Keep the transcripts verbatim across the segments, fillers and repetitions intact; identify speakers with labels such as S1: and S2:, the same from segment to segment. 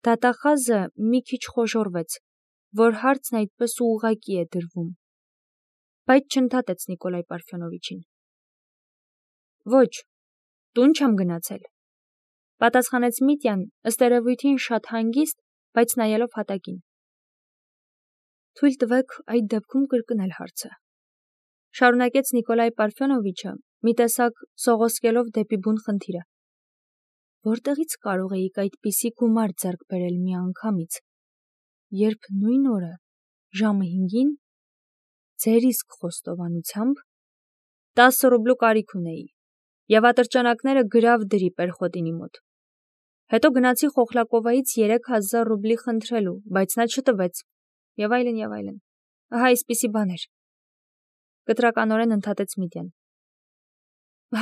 S1: Դատախազը մի քիչ խոժոռվեց, որ հարցն այդպես ուղղակի է դրվում, բայց չընդհատեց Նիկոլայ Պարֆյոնովիչին։ Ոչ, տուն չեմ գնացել, պատասխանեց Միտյան, ըստ երևույթին շատ հանգիստ, բայց նայելով հատակին։ Թույլ տվեք այդ դեպքում կրկնել հարցը, շարունակեց Նիկոլայ Պարֆյոնովիչը, մի տեսակ սողոսկելով դեպի բուն խնդիրը։ Որտեղից կարող էիք այդպիսի գումար ձեռք բերել մի անգամից, երբ նույն օրը, ժամը հինգին, ձեր իսկ խոստովանությամբ, տասը ռուբլու կարիք ունեի, եւ ատրճանակները գրավ դրի Պերխոտինի մոտ։ Հետո գնացի Խոխլակովայից երեք հազար ռուբլի խնդրելու, բայց նա չտվեց, եւ այլն եւ այլն։ Ահա այսպիսի բաներ։ Կտրականորեն ընդհատեց Միտյան։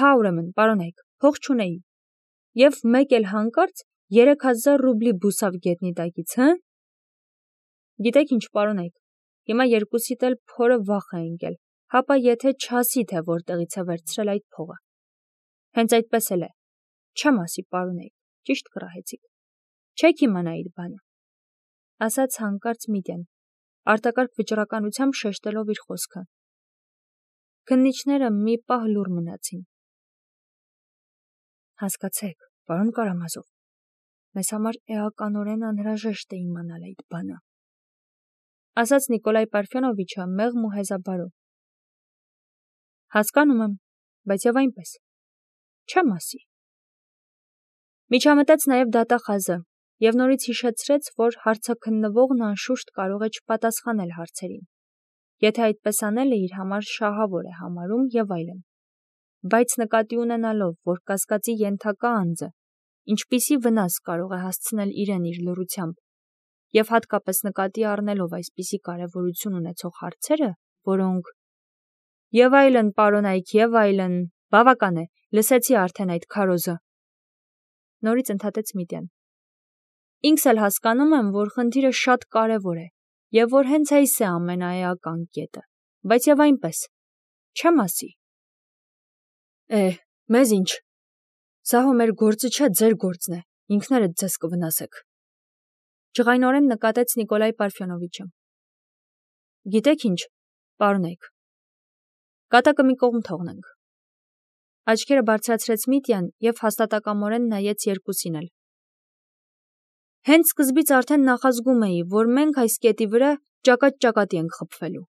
S1: Հա, ուրեմն, պարոնայք, փող չունեի։ Եվ մեկ էլ հանկարծ երեք հազար ռուբլի բուսավ գետնի տակից, հը՞։ Գիտեք ինչ, պարոնայք, հիմա երկուսիդ էլ փորը վախ է ընկել, հապա եթե չասի, թե որտեղից է վերցրել այդ փողը։ Հենց այդպես էլ է, չեմ ասի, պարոնայք, ճիշտ կռահեցիք։ Չեք իմանա այդ բանը, ասաց հանկարծ Միտյան, արտակարգ վճռականությամբ շեշտելով իր խոսքը։ Քննիչները մի պահ լուռ մնացին։ Հասկացեք, պարոն Կարամազով, մեզ համար էականորեն անհրաժեշտ է իմանալ այդ բանը, ասաց Նիկոլայ Պարֆյոնովիչը մեղմ ու հեզաբարով։ Հասկանում եմ, բայց եւ այնպես, չեմ ասի։ Միջամտեց նաև դատախազը եւ նորից հիշեցրեց, որ հարցաքննվողն անշուշտ կարող է չպատասխանել հարցերին, եթե այդպես անելը իր համար շահավոր է համարում եւ այլն։ Բայց նկատի ունենալով, որ կասկածի ենթակա անձը ինչպիսի վնաս կարող է հասցնել իրեն իր լռությամբ, եւ հատկապես նկատի առնելով այսպիսի կարևորություն ունեցող հարցերը, որոնք եւ այլն, պարոնայք, եւ այլն, բավական է, լսեցի արդեն այդ քարոզը։ Նորից ընդհատեց Միտյան։ Ինքս էլ հասկանում եմ, որ խնդիրը շատ կարևոր է, եւ որ հենց այս է ամենաէական կետը, բայց եւ այնպես, չեմ ասի։ Է, մեզ ինչ։ Սա հո մեր գործը չէ, ձեր գործն է, ինքներդ ձեզ կվնասեք։ Ջղայնորեն նկատեց Նիկոլայ Պարֆյոնովիչը։ Գիտեք ինչ, պարոնայք, կատակը մի կողմ թողնենք։ Աչքերը բարձրացրեց Միտյան եւ հաստատակամորեն նայեց երկուսին էլ։ Հենց սկզբից արդեն նախազգում էի, որ մենք այս կետի վրա ճակատ-ճակատի ենք խփվելու։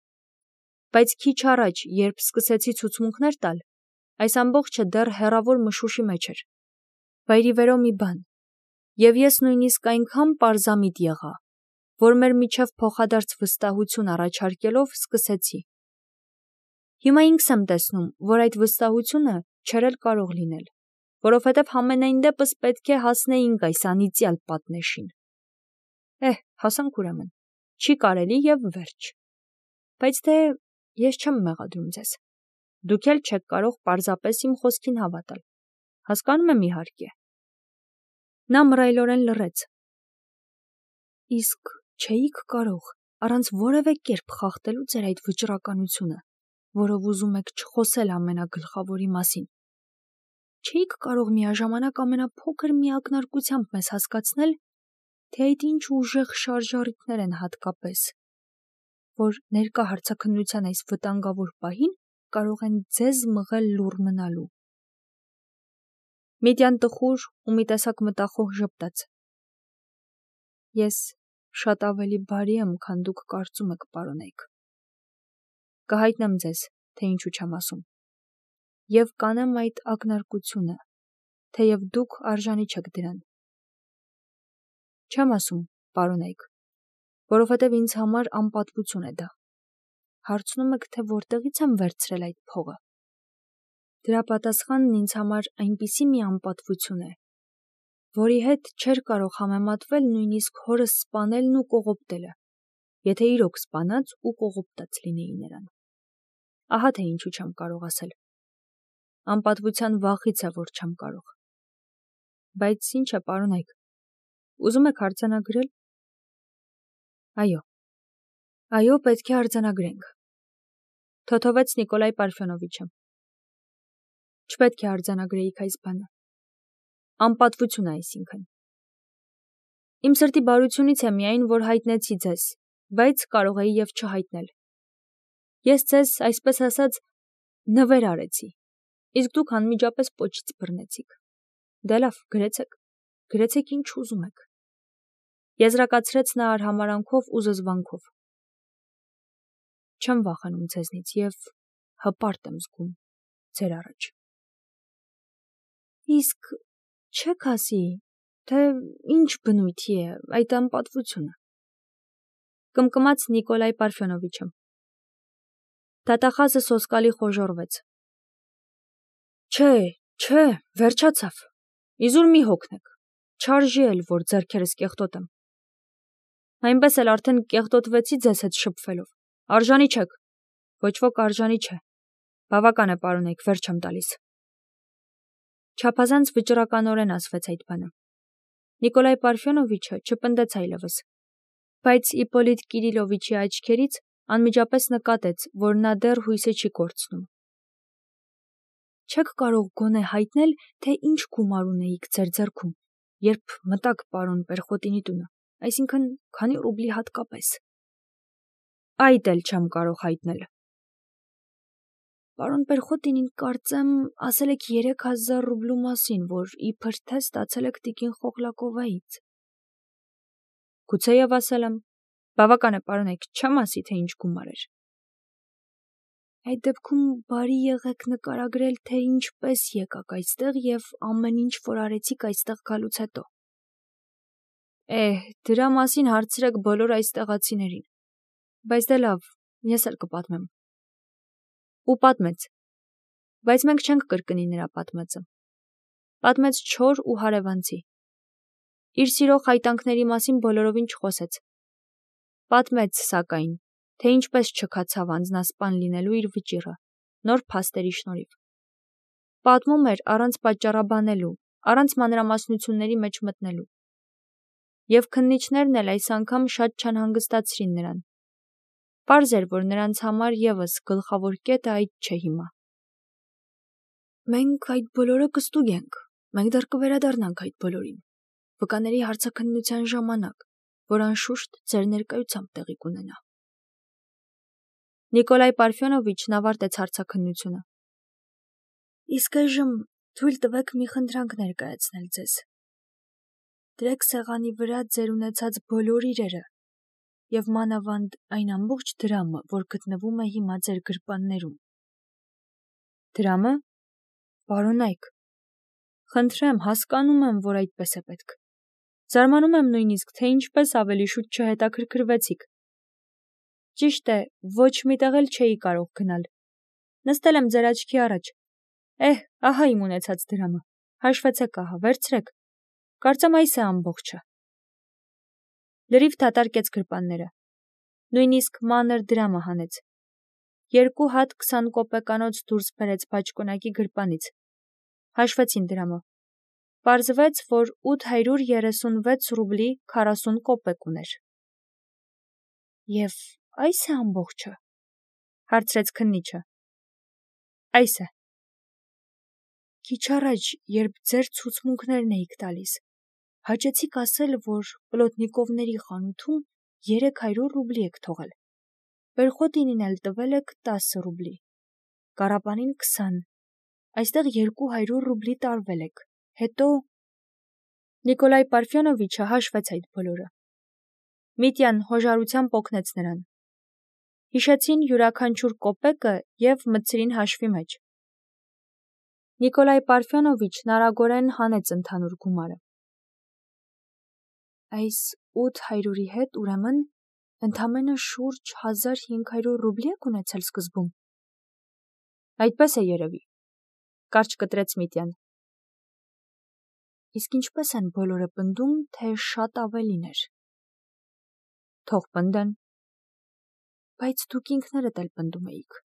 S1: Բայց քիչ առաջ, երբ սկսեցի ցուցմունքներ տալ, այս ամբողջը դեռ հեռավոր մշուշի մեջ էր։ Վայրիվերո մի բան։ Եվ ես նույնիսկ այնքան պարզամիտ եղա, որ մեր միջև փոխադարձ վստահություն առաջարկելով սկսեցի։ Հիմա ինքս եմ տեսնում, որ այդ վստահությունը չէր էլ կարող լինել, որովհետև համենայն դեպս պետք է հասնեինք այս անիծյալ պատնեշին։ Էհ, հասանք ուրեմն, չի կարելի եւ վերջ։ Բայց դե ես չեմ մեղադրում ձեզ։ Դուք էլ չեք կարող պարզապես իմ խոսքին հավատալ։ Հասկանում եմ իհարկե։ Նա մռայլորեն լռեց։ Իսկ չէիք կարող առանց որևէ կերպ խախտելու ձեր այդ վճռականությունը, որով ուզում եք չխոսել ամենագլխավորի մասին։ Չէիք կարող միաժամանակ ամենափոքր մի ակնարկությամբ մեզ հասկացնել, թե այդ ինչ ուժեղ շարժառիթներ են հատկապես, որ ներկա հարցաքննության այս վտանգավոր պահին կարող են ձեզ մղել լուռ մնալու։ Միտյան տխուր ու մի տեսակ մտախոհ ժպտաց։ Ես շատ ավելի բարի եմ, քան դուք կարծում եք, պարոնայք։ Կհայտնեմ ձեզ, թե ինչու չեմ ասում։ Եվ կանեմ այդ ակնարկությունը, թեև դուք արժանի չեք դրան։ Չեմ ասում, պարոնայք, որովհետև ինձ համար անպատվություն է դա։ Հարցնում եք, թե որտեղից եմ վերցրել այդ փողը։ Դրա պատասխանն ինձ համար այնպիսի մի անպատվություն է, որի հետ չէր կարող համեմատվել նույնիսկ հորս սպանելն ու կողոպտելը, եթե իրոք սպանած ու կողոպտած լինեի նրան։ Ահա թե ինչու չեմ կարող ասել։ Անպատվության վախից է, որ չեմ կարող։ Բայց ինչ է, պարոնայք, ուզում եք արձանագրել։ Այո, այո, պետք է արձանագրենք, թոթովեց Նիկոլայ Պարֆյոնովիչը։ Չպետք է արձանագրեիք այս բանը։ Անպատվություն է այսինքն։ Իմ սրտի բարությունից է միայն, որ հայտնեցի ձեզ, բայց կարող էի և չհայտնել։ Ես ձեզ, այսպես ասած, նվեր արեցի, իսկ դուք անմիջապես պոչից բռնեցիք։ Դե լավ, գրեցեք, գրեցեք ինչ ուզում եք։ Եզրակացրեց նա արհամարանքով ու զզվանքով։ Չեմ վախենում ձեզնից և հպարտ եմ զգում ձեր առաջ։ Իսկ չեք ասի, թե ինչ բնույթի է այդ անպատվությունը, կմկմաց Նիկոլայ Պարֆյոնովիչը։ Դատախազը սոսկալի խոժոռվեց։ Չէ, չէ, վերջացավ, իզուր մի հոգնեք, չարժի էլ, որ ձեռքերս կեղտոտեմ։ Այնպես էլ արդեն կեղտոտվեցի ձեզ հետ շփվելով, արժանի չեք, ոչ ոք արժանի չէ, բավական է պարոնեք, վերջ եմ տալիս։ Չափազանց վճռականորեն ասվեց այդ բանը։ Նիկոլայ Պարֆյոնովիչը չպնդեց այլևս, բայց Իպոլիտ Կիրիլովիչի աչքերից անմիջապես նկատեց, որ նա դեռ հույսը չի կորցնում։ Չեք կարող գոնե հայտնել, թե ինչ գումար ունեիք ձեր ձեռքում, երբ մտաք պարոն Պերխոտինի տունը, այսինքն քանի ռուբլի հատկապես։ Այդ էլ չեմ կարող հայտնել։ Պարոն Պերխոտինին, կարծեմ, ասել եք երեք հազար ռուբլու մասին, որ իբր թե ստացել եք տիկին Խոխլակովայից։ Գուցեև ասել եմ, բավական է պարոնեք, չեմ ասի, թե ինչ գումար էր։ Այդ դեպքում բարի եղեք նկարագրել, թե ինչպես եկաք այստեղ և ամեն ինչ, որ արեցիք այստեղ գալուց հետո։ Էհ, դրա մասին հարցրեք բոլոր այստեղացիներին, բայց դե լավ, ես էլ կպատմեմ։ Ու պատմեց, բայց մենք չենք կրկնի նրա պատմածը։ Պատմեց չոր ու հարևանցի։ Իր սիրո խայտանքների մասին բոլորովին չխոսեց։ Պատմեց, սակայն, թե ինչպես չքացավ անձնասպան լինելու իր վճիռը, նոր փաստերի շնորհիվ։ Պատմում էր առանց պատճառաբանելու, առանց մանրամասնությունների մեջ մտնելու։ Եվ քննիչներն էլ այս անգամ շատ չանհանգստացրին նրան։ Պարզ էր, որ նրանց համար ևս գլխավոր կետը այդ չէ հիմա։ Մենք այդ բոլորը կստուգենք, մենք դեռ կվերադառնանք այդ բոլորին, վկաների հարցաքննության ժամանակ, որ անշուշտ ձեր ներկայությամբ տեղի կունենա։ Նիկոլայ Պարֆյոնովիչն ավարտեց հարցաքննությունը։ Իսկ այժմ թույլ տվեք մի խնդրանք ներկայացնել ձեզ։ Դրեք սեղանի վրա ձեր ունեցած բոլոր իրերը և մանավանդ այն ամբողջ դրամը, որ գտնվում է հիմա ձեր գրպաններում։ Դրամը, պարոնայք, խնդրեմ, հասկանում եմ, որ այդպես է պետք։ Զարմանում եմ նույնիսկ, թե ինչպես ավելի շուտ չհետաքրքրվեցիք։ Ճիշտ է, ոչ միտեղ էլ չէի կարող գնալ։ Նստել եմ ձեր աչքի առաջ։ Էհ, ահա իմ ունեցած դրամը, հաշվեցեք ահա, վերցրեք, կարծեմ այս է ամբողջը։ Լրիվ դատարկեց գրպանները, նույնիսկ մանր դրամը հանեց։ Երկու հատ քսան կոպեկանոց դուրս բերեց բաճկոնակի գրպանից։ Հաշվեցին դրամը։ Պարզվեց, որ ութ հարյուր երեսունվեց ռուբլի քառասուն կոպեկ ուներ։ Եվ այս է ամբողջը, հարցրեց քննիչը։ Այս է։ Քիչ առաջ, երբ ձեր ցուցմունքներն էիք տալիս, հաճեցիք ասել, որ Պլոտնիկովների խանութում երեք հարյուր ռուբլի եք թողել։ Պերխոտինին էլ տվել եք տասը ռուբլի, Կարապանին քսան, այստեղ երկու հարյուր ռուբլի տարվել եք, հետո… Նիկոլայ Պարֆյոնովիչը հաշվեց այդ բոլորը։ Միտյան հոժարությամբ օգնեց նրան։ Հիշեցին յուրաքանչյուր կոպեկը և մտցրին հաշվի մեջ։ Նիկոլայ Պարֆյոնովիչն արագորեն հանեց ընդհանուր գումարը։ Այս ութ հարյուրի հետ, ուրեմն, ընդամենը շուրջ հազար հինգ հարյուր ռուբլի եք ունեցել սկզբում։ Այդպես է երևի, կարճ կտրեց Միտյան։ Իսկ ինչպես են բոլորը պնդում, թե շատ ավելին էր։ Թող պնդեն։ Բայց դուք ինքներդ էլ պնդում էիք։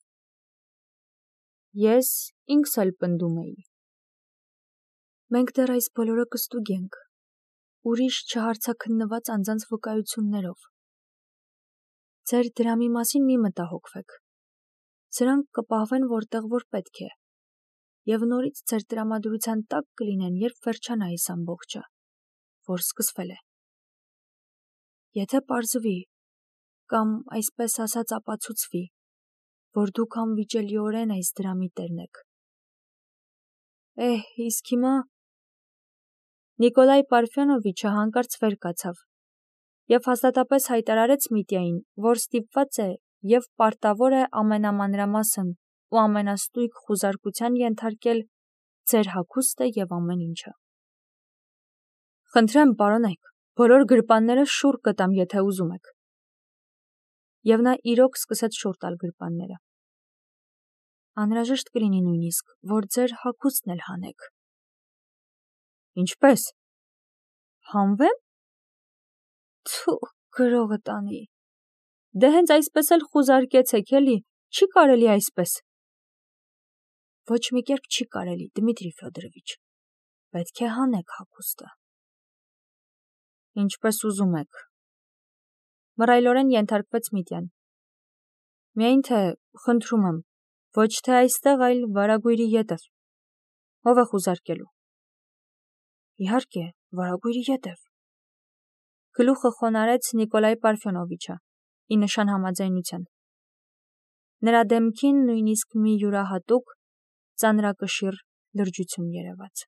S1: Ես ինքս էլ պնդում էի։ Մենք դեռ այս բոլորը կստուգենք, ուրիշ չհարցաքննված անձանց վկայություններով։ Ձեր դրամի մասին մի մտահոգվեք։ Սրանք կպահվեն որտեղ որ պետք է, և նորից ձեր տրամադրության տակ կլինեն, երբ վերջանա այս ամբողջը, որ սկսվել է։ Եթե պարզվի, կամ այսպես ասած ապացուցվի, որ դուք անվիճելիորեն այս դրամի տերն եք։ Էհ, իսկ հիմա… Նիկոլայ Պարֆյոնովիչը հանկարծ վեր կացավ և հաստատապես հայտարարեց Միտյային, որ ստիպված է և պարտավոր է ամենամանրամասն ու ամենաստույգ խուզարկության ենթարկել ձեր հագուստը և ամեն ինչը։ Խնդրեմ, պարոնեք, բոլոր գրպանները շուռ կտամ, եթե ուզում եք։ Եվ նա իրոք սկսեց շուռ տալ գրպանները։ Անհրաժեշտ կլինի նույնիսկ, որ ձեր հագուստն էլ հանեք։ Ինչպե՞ս։ Հանվե՞մ։ Թու, գրողը տանի։ Դե հենց այսպես էլ խուզարկեցեք, էլի, չի կարելի այսպես։ Ոչ մի կերպ չի կարելի, Դմիտրի Ֆյոդորովիչ, պետք է հանեք հագուստը։ Ինչպես ուզում եք, մռայլորեն ենթարկվեց Միտյան։ Միայն թե, խնդրում եմ, ոչ թե այստեղ, այլ վարագույրի ետև։ Ով է խուզարկելու։ Իհարկե, վարագույրի ետև։ Գլուխը խոնարհեց Նիկոլայ Պարֆյոնովիչը, ի նշան համաձայնության։ Նրա դեմքին նույնիսկ մի յուրահատուկ, ծանրակշիռ լրջություն երևաց։